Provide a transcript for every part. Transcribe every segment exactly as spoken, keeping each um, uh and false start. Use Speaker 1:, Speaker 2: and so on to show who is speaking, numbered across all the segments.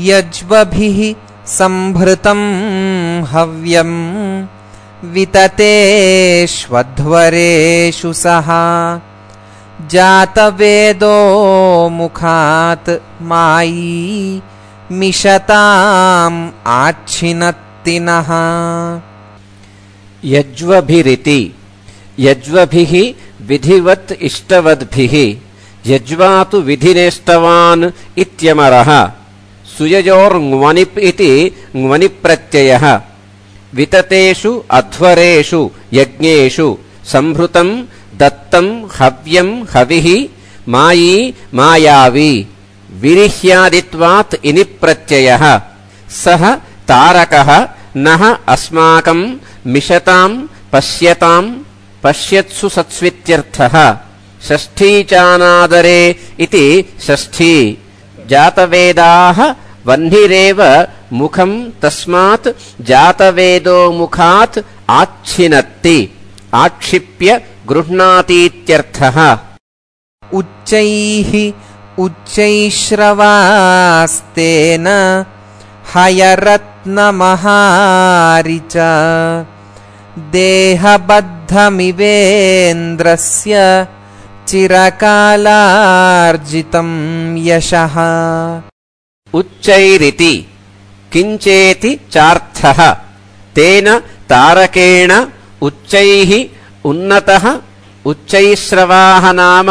Speaker 1: यज्वभिः संभृतं हव्यं विततेष्वध्वरेषु सः जातवेदो मुखात् मायी मिषताम् आच्छिनत्ति नः।
Speaker 2: यज्वभिरिति यज्वभिः विधिवत् इष्टवद्भिः यज्वातु विधिनेष्टवान् इत्यमरः सुययोर्ङ्वनिप् इति ङ्वनिप्रत्ययः विततेषु अध्वरेषु यज्ञेषु संभृतं दत्तं हव्यं हविः मायी मायावी विरिह्यादित्वात् इनिप्रत्ययः सः तारकः नः अस्माकं मिषतां पश्यतां पश्यत्सु सत्स्वित्यर्थः। षष्ठीचानादरे इति षष्ठी जातवेदाः वह्निरेव मुखं तस्मात् जातवेदो मुखात् आच्छिनत्ति आक्षिप्य गृह्णातीत्यर्थः।
Speaker 1: उच्चैः उच्चैश्रवास्तेन हयरत्नमहारिच देहबद्धमिवेन्द्रस्य चिरकालार्जितं यशः।
Speaker 2: उच्चैरिति किञ्चेति चार्थः तेन तारकेण उच्चैः उन्नतः उच्चैश्रवाः नाम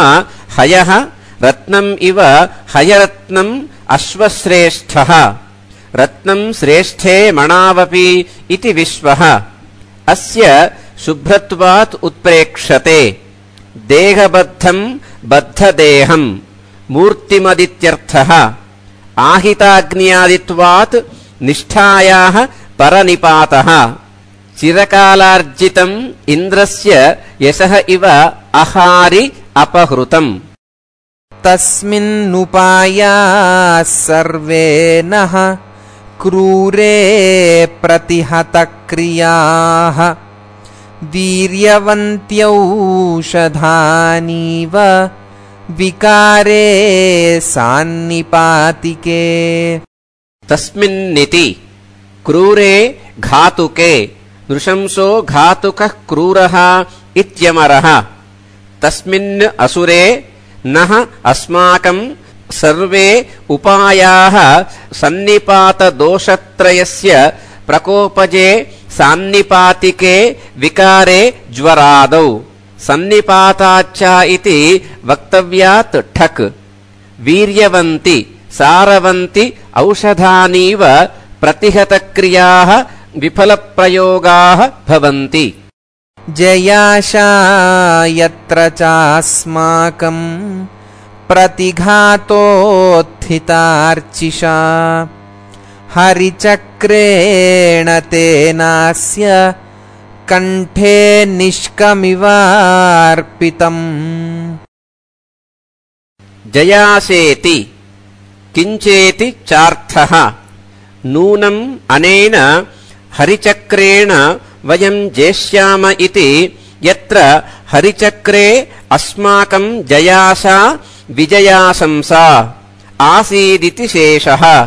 Speaker 2: हयः रत्नम् इव हयरत्नम् अश्वश्रेष्ठः रत्नम् श्रेष्ठे मणावपि इति विश्वः अस्य शुभ्रत्वात् उत्प्रेक्षते। देहबद्धम् बद्धदेहम् मूर्तिमदित्यर्थः। आहिताग्न्यादित्वात् निष्ठायाः परनिपातः। चिरकालार्जितम् इन्द्रस्य यशः इव अहारि अपहृतम्।
Speaker 1: तस्मिन्नुपायाः सर्वे नः क्रूरे प्रतिहतक्रियाः वीर्यवन्त्यौषधानीव विकारे सान्निपातिके।
Speaker 2: तस्मिन्निति क्रूरे घातुके नृशंसो घातुकः क्रूरः इत्यमरः। तस्मिन् असुरे नः अस्माकं सर्वे उपायाः सन्निपातदोषत्रयस्य प्रकोपजे सान्निपातिके विकारे ज्वरादौ। सन्निपाताच्च इति वक्तव्यात् ठक्। वीर्यवन्ति सारवन्ति औषधानीव प्रतिहतक्रियाः विफलप्रयोगाः भवन्ति।
Speaker 1: जयाशा यत्र चास्माकं प्रतिघातोत्थितार्चिषा हरिचक्रेण तेनास्य कण्ठे निष्कमिवार्पितम्।
Speaker 2: जयासेति किञ्चेति चार्थः नूनम् अनेन हरिचक्रेण वयं जेष्याम इति यत्र हरिचक्रे अस्माकं जयासा विजयाशंसा आसीदिति शेषः।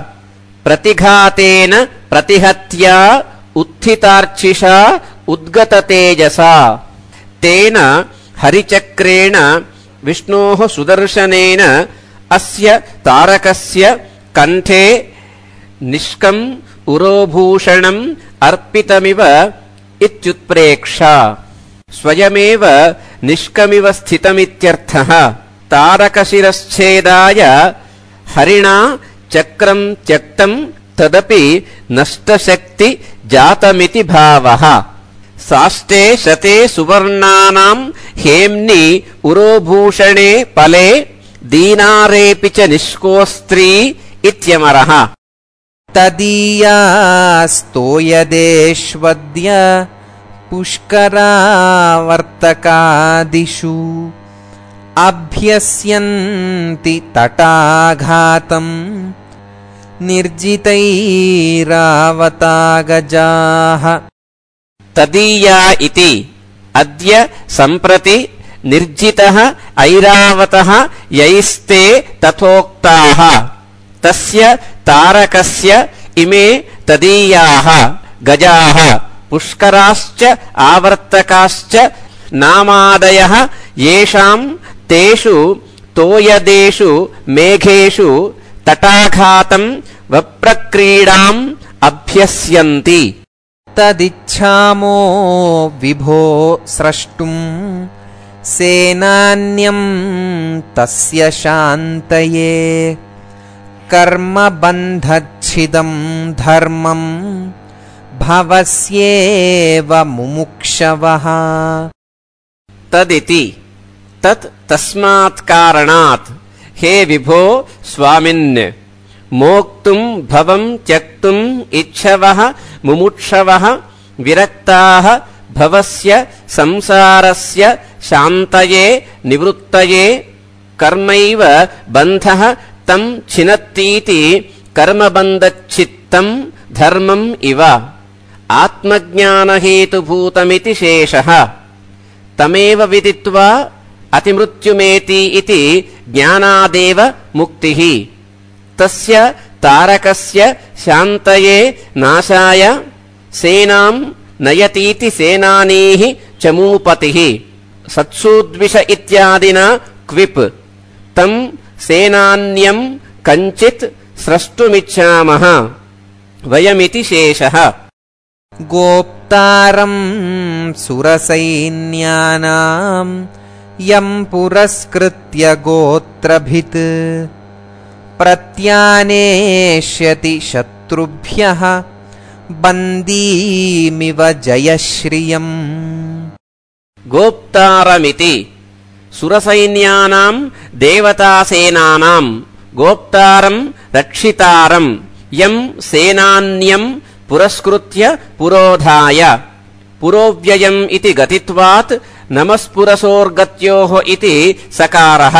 Speaker 2: प्रतिघातेन प्रतिहत्या उत्थितार्चिषा उद्गततेजसा तेन हरिचक्रेण विष्णोः सुदर्शनेन अस्य तारकस्य कण्ठे निष्कम् उरोभूषणम् अर्पितमिव इत्युत्प्रेक्षा। स्वयमेव निष्कमिव स्थितमित्यर्थः। तारकशिरश्छेदाय हरिणा चक्रं त्यक्तं तदपि नष्टशक्ति जातमिति भावः। साष्टे शते सुवर्णानां हेम्नि उरोभूषणे फले दीनारेऽपि च निष्कोस्त्री इत्यमरः।
Speaker 1: तदीयास्तोयदेष्वद्य पुष्करावर्तकादिषु अभ्यस्यन्ति तटाघातम् निर्जितैरावतागजाः।
Speaker 2: तदीया इति अद्य सम्प्रति निर्जितः ऐरावतः यैस्ते तथोक्ताः। तस्य तारकस्य इमे तदीयाः गजाः पुष्कराश्च आवर्तकाश्च नामादयः येषां तेषु तोयदेषु मेघेषु तटाघातं वप्रक्रीडाम् अभ्यस्यन्ति।
Speaker 1: तदिच्छामो विभो स्रष्टुम् सेनान्यं तस्य शान्तये कर्मबन्धच्छिदं धर्मं भवस्येव मुमुक्षवः।
Speaker 2: तदिति तत् तस्मात् कारणात् हे विभो स्वामिन् मोक्तुं भवं त्यक्तुम् इच्छवः मुमुक्षवः विरक्ताः भवस्य संसारस्य शान्तये निवृत्तये कर्मैव बन्धः तं छिनत्तीति कर्मबन्धच्छित्तं धर्मम् इव आत्मज्ञानहेतुभूतमिति शेषः। तमेव विदित्वा अतिमृत्युमेति इति ज्ञानादेव मुक्तिः। तस्य तारकस्य शान्तये नाशाय सेनां नयतीति सेनानीः चमूपतिः सत्सूद्विष इत्यादिना क्विप् तं सेनान्यं कञ्चित् स्रष्टुमिच्छामः वयमिति शेषः।
Speaker 1: गोप्तारं सुरसैन्यानां यं पुरस्कृत्य गोत्रभित् प्रत्यानेष्यति शत्रुभ्यः बन्दीमिव जयश्रियम्।
Speaker 2: गोप्तारमिति सुरसैन्यानां देवतासेनानां गोप्तारं रक्षितारं यं सेनान्यं पुरस्कृत्य पुरोधाय पुरोव्ययम् इति गतित्वात् नमस्पुरसोर्गत्योः इति सकारः।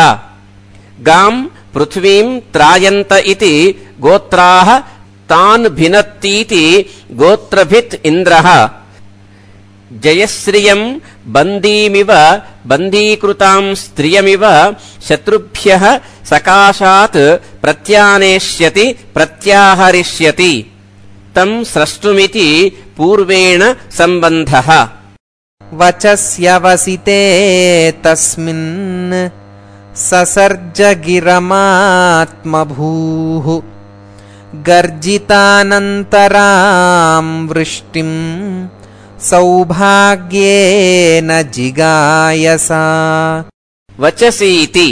Speaker 2: गां पृथ्वीं त्रायन्त इति गोत्राः तान् भिनत्तीति गोत्रभित् इन्द्रः। जयश्रियं बन्दीमिव बन्दीकृतां स्त्रियमिव शत्रुभ्यः सकाशात् प्रत्यानेष्यति प्रत्याहरिष्यति तं स्रष्टुमिति पूर्वेण सम्बन्धः।
Speaker 1: वचस्यवसिते तस्मिन् ससर्ज गिरमात्मभूः गर्जितानन्तरां वृष्टिं सौभाग्येन जिगायसा।
Speaker 2: वचसीति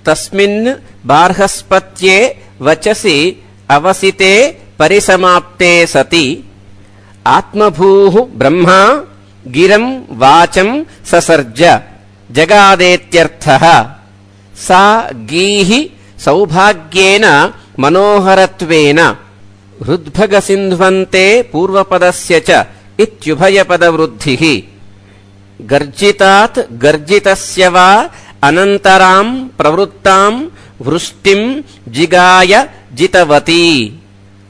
Speaker 2: तस्मिन् बार्हस्पत्ये वचसि अवसिते परिसमाप्ते सति आत्मभूः ब्रह्मा गिरं वाचं ससर्ज जगादेत्यर्थः। सा गीः सौभाग्येन मनोहरत्वेन हृद्भगसिन्ध्वन्ते पूर्वपदस्य च इत्युभयपदवृद्धिः। गर्जितात् गर्जितस्य वा अनन्तरां प्रवृत्तां वृष्टिं जिगाय जितवती।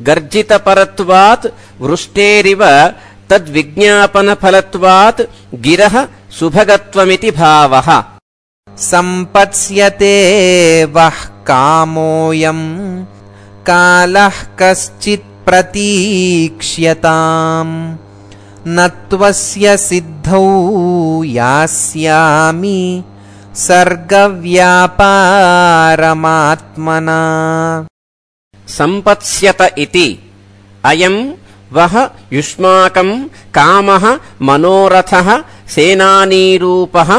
Speaker 2: गर्जितपरत्वात् वृष्टेरिव तद्विज्ञापनफलत्वात् गिरः सुभगत्वमिति भावः।
Speaker 1: सम्पत्स्यते वः कामोऽयं कालः कश्चित् प्रतीक्ष्यताम् न त्वस्य सिद्धौ यास्यामि सर्गव्यापारमात्मना।
Speaker 2: सम्पत्स्यत इति अयं वः युष्माकं कामः मनोरथः सेनानीरूपः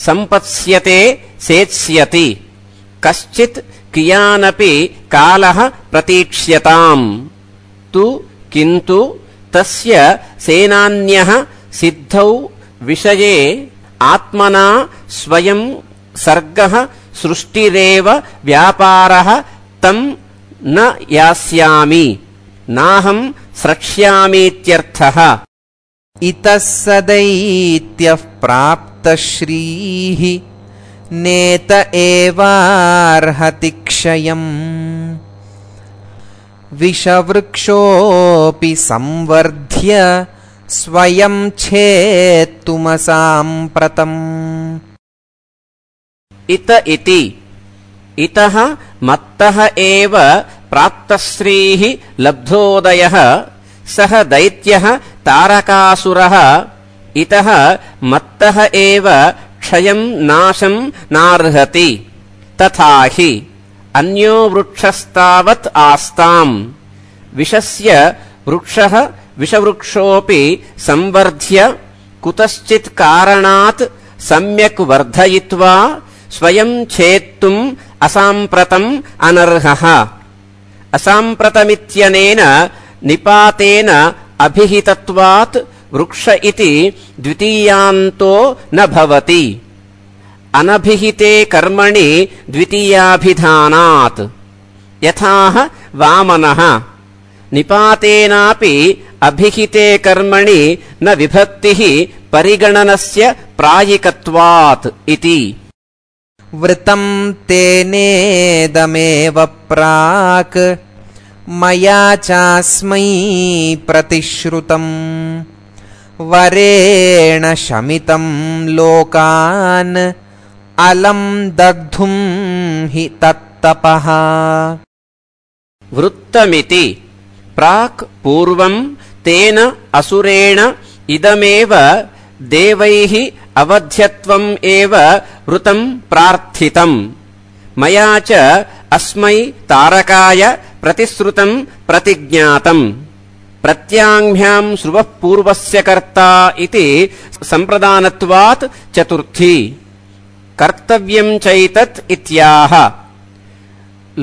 Speaker 2: सम्पत्स्यते सेत्स्यति कश्चित् कियानपि कालः प्रतीक्ष्यताम् तु किन्तु तस्य सेनान्यः सिद्धौ विषये आत्मना स्वयं सर्गः सृष्टिरेव व्यापारः तं न यास्यामि नाहं स्रक्ष्यामीत्यर्थः।
Speaker 1: इतः सदैत्यः प्राप्तश्रीः नेत एवार्हति क्षयम् विषवृक्षोऽपि संवर्ध्य स्वयं छेत्तुमसाम्प्रतम्।
Speaker 2: इत इति इतः मत्तः एव प्राप्तश्रीः लब्धोदयः सः दैत्यः तारकासुरः इतः मत्तः एव क्षयं नाशं नार्हति तथा हि अन्यो वृक्षस्तावत् आस्ताम् विषस्य वृक्षः विषवृक्षोऽपि संवर्ध्य कुतश्चित् कारणात् सम्यक् वर्धयित्वा स्वयं छेत्तुम् असाम्प्रतम् अनर्हः असाम्प्रतमित्यनेन निपातेन अभिहितत्वात् वृक्ष इति द्वितीयान्तो न भवति अनभिहिते कर्मणि द्वितीयाभिधानात् यथाह वामनः निपातेनापि अभिहिते कर्मणि न विभक्तिः परिगणनस्य प्रायिकत्वात् इति
Speaker 1: वृतं तेनेदमेव प्राक् मया चास्मै प्रतिश्रुतम् वरेण शमितं लोकान् अलं दग्धुं हि तत्तपः
Speaker 2: वृत्तमिति प्राक् पूर्वं तेन असुरेण इदमेव देवैः अवध्यत्वम् एव वृतं प्रार्थितम् मया च अस्मै तारकाय प्रतिश्रुतं प्रतिज्ञातम् प्रत्याङ्भ्यां श्रुवः पूर्वस्य कर्ता इति सम्प्रदानत्वात् चतुर्थी कर्तव्यं चैतत् इत्याह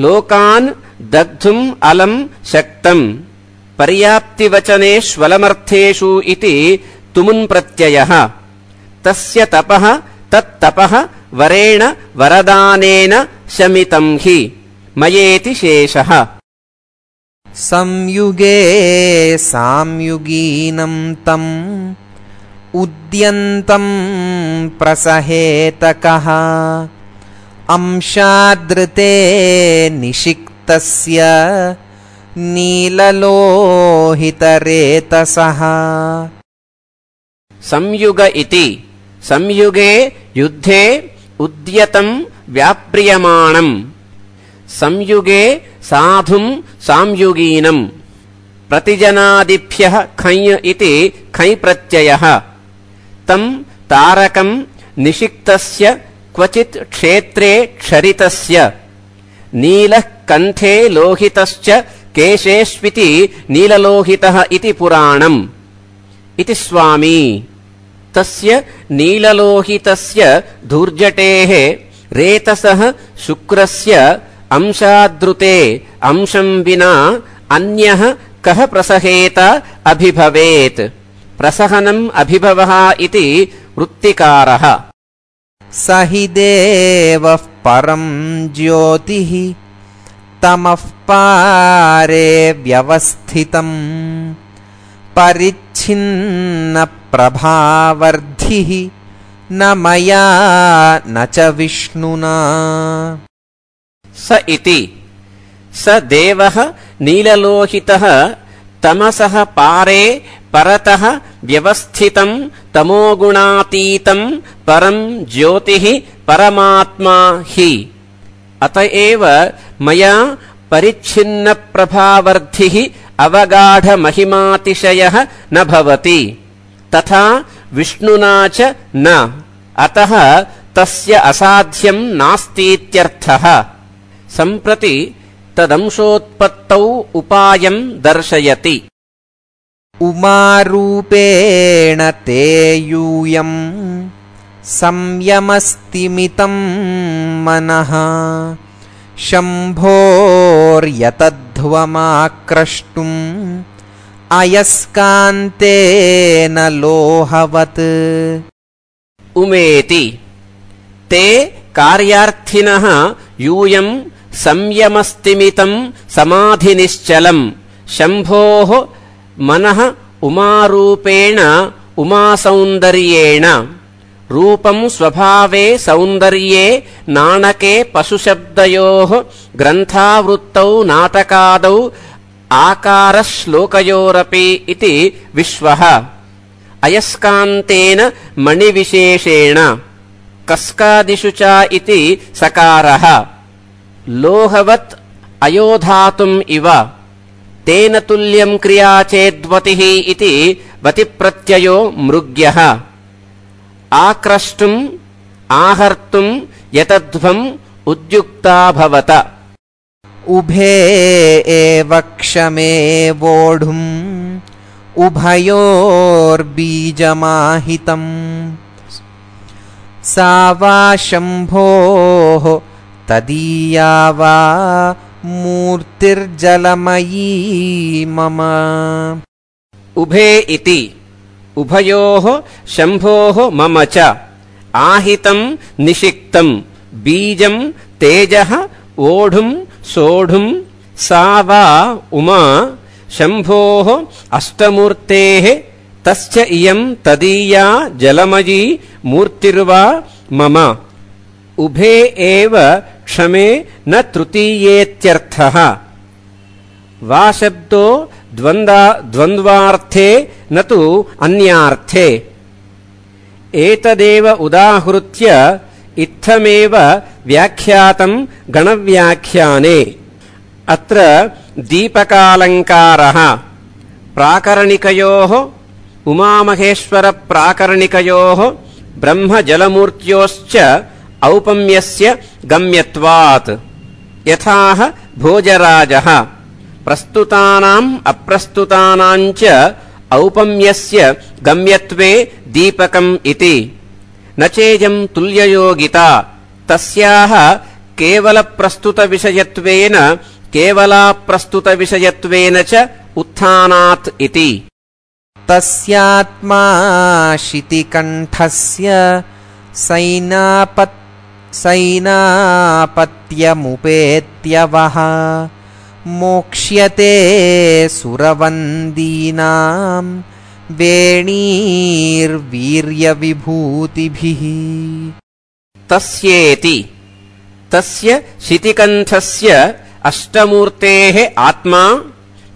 Speaker 2: लोकान् दग्धुम् अलं शक्तम् पर्याप्तिवचनेष्वलमर्थेषु इति तुमुन् प्रत्ययः तस्य तपः तत्तपः वरेण वरदानेन शमितं हि मयेति शेषः
Speaker 1: संयुगे साम्युगीनं तम् उद्यन्तं प्रसहेतकः अंशादृते निषिक्तस्य नीललोहितरेतसः
Speaker 2: संयुग इति संयुगे युद्धे उद्यतं व्याप्रियमाणम् संयुगे साधुं साम्युगीनम् प्रतिजनादिभ्यः खञ् इति खञ् प्रत्ययः तम् तारकं निषिक्तस्य क्वचित् क्षेत्रे क्षरितस्य नीलः कण्ठे लोहितश्च केशेष्विति नीललोहितः इति पुराणम् इति स्वामी तस्य नीललोहितस्य धूर्जटेः रेतसः शुक्रस्य अंशादृते अंशं विना अन्यः कः प्रसहेत अभिभवेत् प्रसहनम् अभिभवः इति वृत्तिकारः
Speaker 1: स हि देवः परं ज्योतिः तमः पारे व्यवस्थितम् परिच्छिन्न प्रभावर्धिः न मया न च विष्णुना
Speaker 2: स इति स देवः नीललोहितः तमसः पारे परतः व्यवस्थितं तमोगुणातीतं परं ज्योतिः परमात्मा हि अतएव मया परिच्छिन्नप्रभावर्धिः अवगाढमहिमातिशयः न भवति तथा विष्णुना च न अतः तस्य असाध्यं नास्तीत्यर्थः सम्प्रति तदंशोत्पत्तौ उपायं दर्शयति
Speaker 1: उमारूपेण ते यूयं संयमस्तिमितं मनः शम्भोर्यतध्वमाक्रष्टुम् अयस्कान्तेन लोहवत्
Speaker 2: उमेति ते कार्यार्थिनः यूयं संयमस्तिमितं समाधिनिश्चलम् शम्भोः मनः उमारूपेण उमासौन्दर्येण रूपं स्वभावे सौन्दर्ये नाणके पशुशब्दयोः ग्रन्थावृत्तौ नाटकादौ आकारश्लोकयोरपि इति विश्वः अयस्कान्तेन मणिविशेषेण कस्कादिषु च इति सकारः लोहवत् अयोधातुम् इव तेन तुल्यं क्रिया चेद्वतिः इति वतिप्रत्ययो मृग्यः आक्रष्टुम् आहर्तुम् यतध्वम् उद्युक्ता भवत
Speaker 1: उभे एव क्षमे वोढुम् उभयोर्बीजमाहितम् सा वा शम्भोः तदीया वा मूर्तिर्जलमयी मम
Speaker 2: उभे इति उभयोः शम्भोः मम च आहितम् निषिक्तम् बीजम् तेजः ओढुम् सोढुम् सा वा उमा शम्भोः अष्टमूर्तेः तस्य इयम् तदीया जलमयी मूर्तिर्वा मम उभे एव क्षमे न तृतीयेत्यर्थः वा शब्दो द्वन्द्वार्थे न तु अन्यार्थे एतदेव उदाहृत्य इत्थमेव व्याख्यातम् गणव्याख्याने अत्र दीपकालङ्कारः प्राकरणिकयोः उमामहेश्वरप्राकरणिकयोः ब्रह्मजलमूर्त्योश्च औपम्यस्य गम्यत्वात् यथाह भोजराजः प्रस्तुतानाम् अप्रस्तुतानाम् च औपम्यस्य गम्यत्वे दीपकम् इति न चेयम् तुल्ययोगिता तस्याः केवलप्रस्तुतविषयत्वेन केवलाप्रस्तुतविषयत्वेन च उत्थानात् इति
Speaker 1: तस्यात्मा शितिकण्ठस्य सैनापत् सैनापत्यमुपेत्यवः मोक्ष्यते सुरवन्दीनां वेणीर्वीर्यविभूतिभिः
Speaker 2: तस्येति तस्य शितिकण्ठस्य अष्टमूर्तेः आत्मा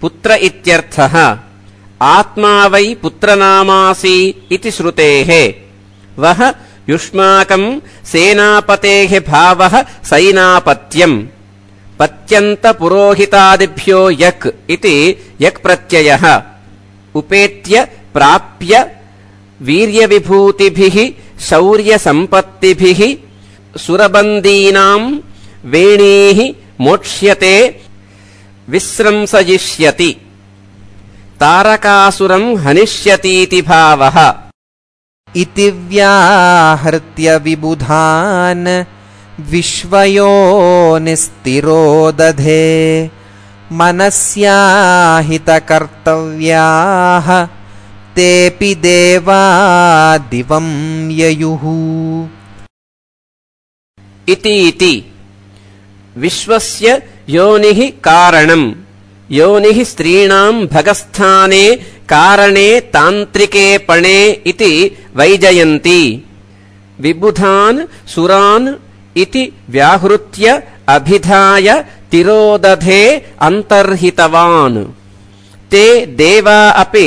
Speaker 2: पुत्र इत्यर्थः आत्मा वै पुत्रनामासि इति श्रुतेः वह युष्माकम् सेनापतेः भावः सैनापत्यम् पत्यन्तपुरोहितादिभ्यो यक् इति यक् प्रत्ययः उपेत्य प्राप्य वीर्यविभूतिभिः शौर्यसम्पत्तिभिः सुरबन्दीनाम् वेणीः मोक्ष्यते विस्रंसयिष्यति तारकासुरम् हनिष्यतीति भावः
Speaker 1: इति व्याहृत्य विबुधान् विश्वयोनिस्तिरो दधे मनस्याहितकर्तव्याः तेऽपि देवा दिवं ययुः
Speaker 2: इति इति विश्वस्य योनिः कारणम् योनिः स्त्रीणाम् भगस्थाने कारणे तान्त्रिके पणे इति वैजयन्ती विबुधान् सुरान् इति व्याहृत्य अभिधाय तिरोदधे अन्तर्हितवान् ते देवा अपि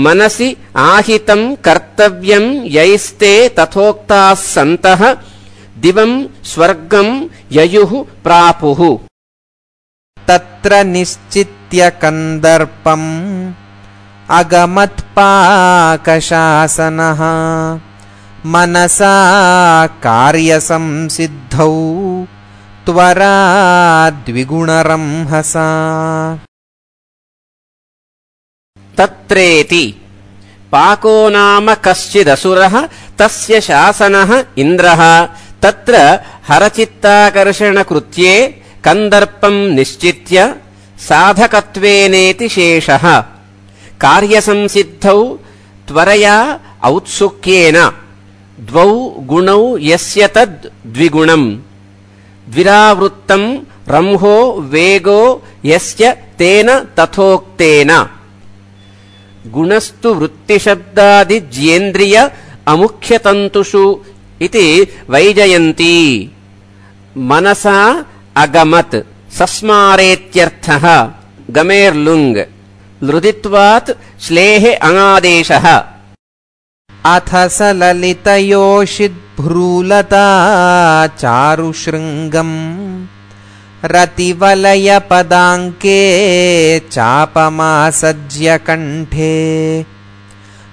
Speaker 2: मनसि आहितम् कर्तव्यम् यैस्ते तथोक्ताः सन्तः दिवम् स्वर्गम् ययुः प्रापुः
Speaker 1: तत्र निश्चित्य कन्दर्पम् अगमत्पाकशासनः मनसा कार्यसंसिद्धौ त्वरा द्विगुणरंहसा
Speaker 2: तत्रेति पाको नाम कश्चिदसुरः तस्य शासनः इन्द्रः तत्र हरचित्ताकर्षणकृत्ये कन्दर्पम् निश्चित्य साधकत्वेनेति शेषः कार्यसंसिद्धौ त्वरया औत्सुक्येन द्वौ गुणौ यस्य तद् द्विगुणम् द्विरावृत्तम् रंहो वेगो यस्य तेन तथोक्तेन गुणस्तु वृत्तिशब्दादिज्येन्द्रिय अमुख्यतन्तुषु इति वैजयन्ती मनसा अगमत् सस्मारेत्यर्थः गमेर्लुङ् लृदित्वात् श्लेः अङादेशः
Speaker 1: अथ स ललितयोषिद्भ्रूलता चारुशृङ्गम् रतिवलयपदाङ्के चापमासज्य कण्ठे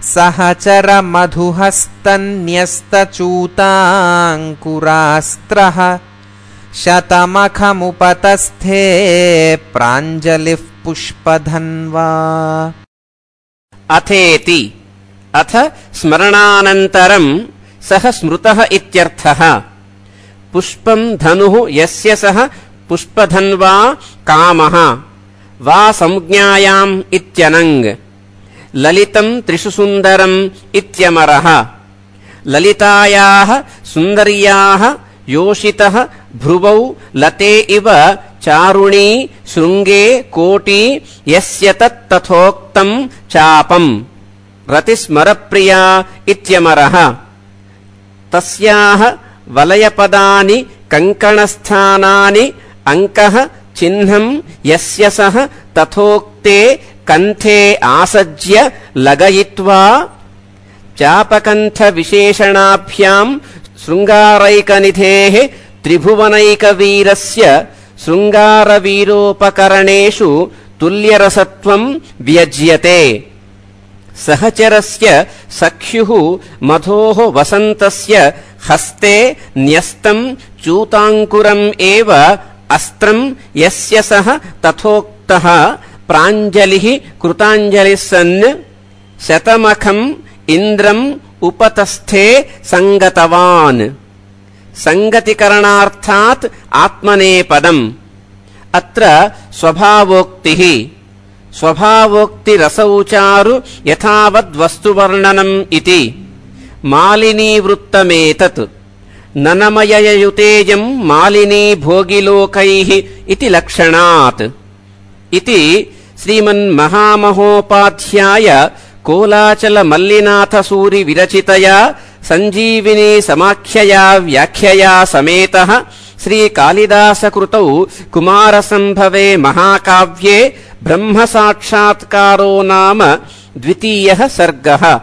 Speaker 1: सहचरमधुहस्तन्यस्तचूताङ्कुरास्त्रः शतमखमुपतस्थे प्राञ्जलिः पुष्पधन्वा।
Speaker 2: अथेति अथ स्मरणानन्तरम् सः स्मृतः इत्यर्थः। पुष्पम् धनुः यस्य सः पुष्पधन्वा कामः वा संज्ञायाम् इत्यनङ्। ललितम् त्रिषु सुन्दरम् इत्यमरः। ललितायाः सुन्दर्याः योषितः भ्रुवौ लते इव चारुणी शृङ्गे कोटी यस्य तत् तथोक्तम् चापम्। रतिस्मरप्रिया इत्यमरः। तस्याः वलयपदानि कङ्कणस्थानानि अङ्कः चिह्नम् यस्य सः तथोक्ते कण्ठे आसज्य लगयित्वा चापकण्ठविशेषणाभ्याम् शृङ्गारैकनिधेः त्रिभुवनैकवीरस्य शृङ्गारवीरोपकरणेषु तुल्यरसत्वम् व्यज्यते। सहचरस्य सख्युः मधोः वसन्तस्य हस्ते न्यस्तम् चूताङ्कुरम् एव अस्त्रम् यस्य सः तथोक्तः प्राञ्जलिः कृताञ्जलिः सन् शतमखम् इन्द्रम् उपतस्थे सङ्गतवान्। सङ्गतिकरणार्थात् आत्मनेपदम्। अत्र स्वभावोक्तिः। स्वभावोक्तिरसौचारु यथावद्वस्तुवर्णनम् इति। मालिनीवृत्तमेतत्। ननमययुतेयम् मालिनी भोगिलोकैः इति लक्षणात् इति श्रीमन्महामहोपाध्याय कोलाचलमल्लिनाथसूरि विरचितया सञ्जीविनी समाख्यया व्याख्यया समेतः श्रीकालिदासकृतौ कुमारसम्भवे महाकाव्ये ब्रह्मसाक्षात्कारो नाम द्वितीयः सर्गः।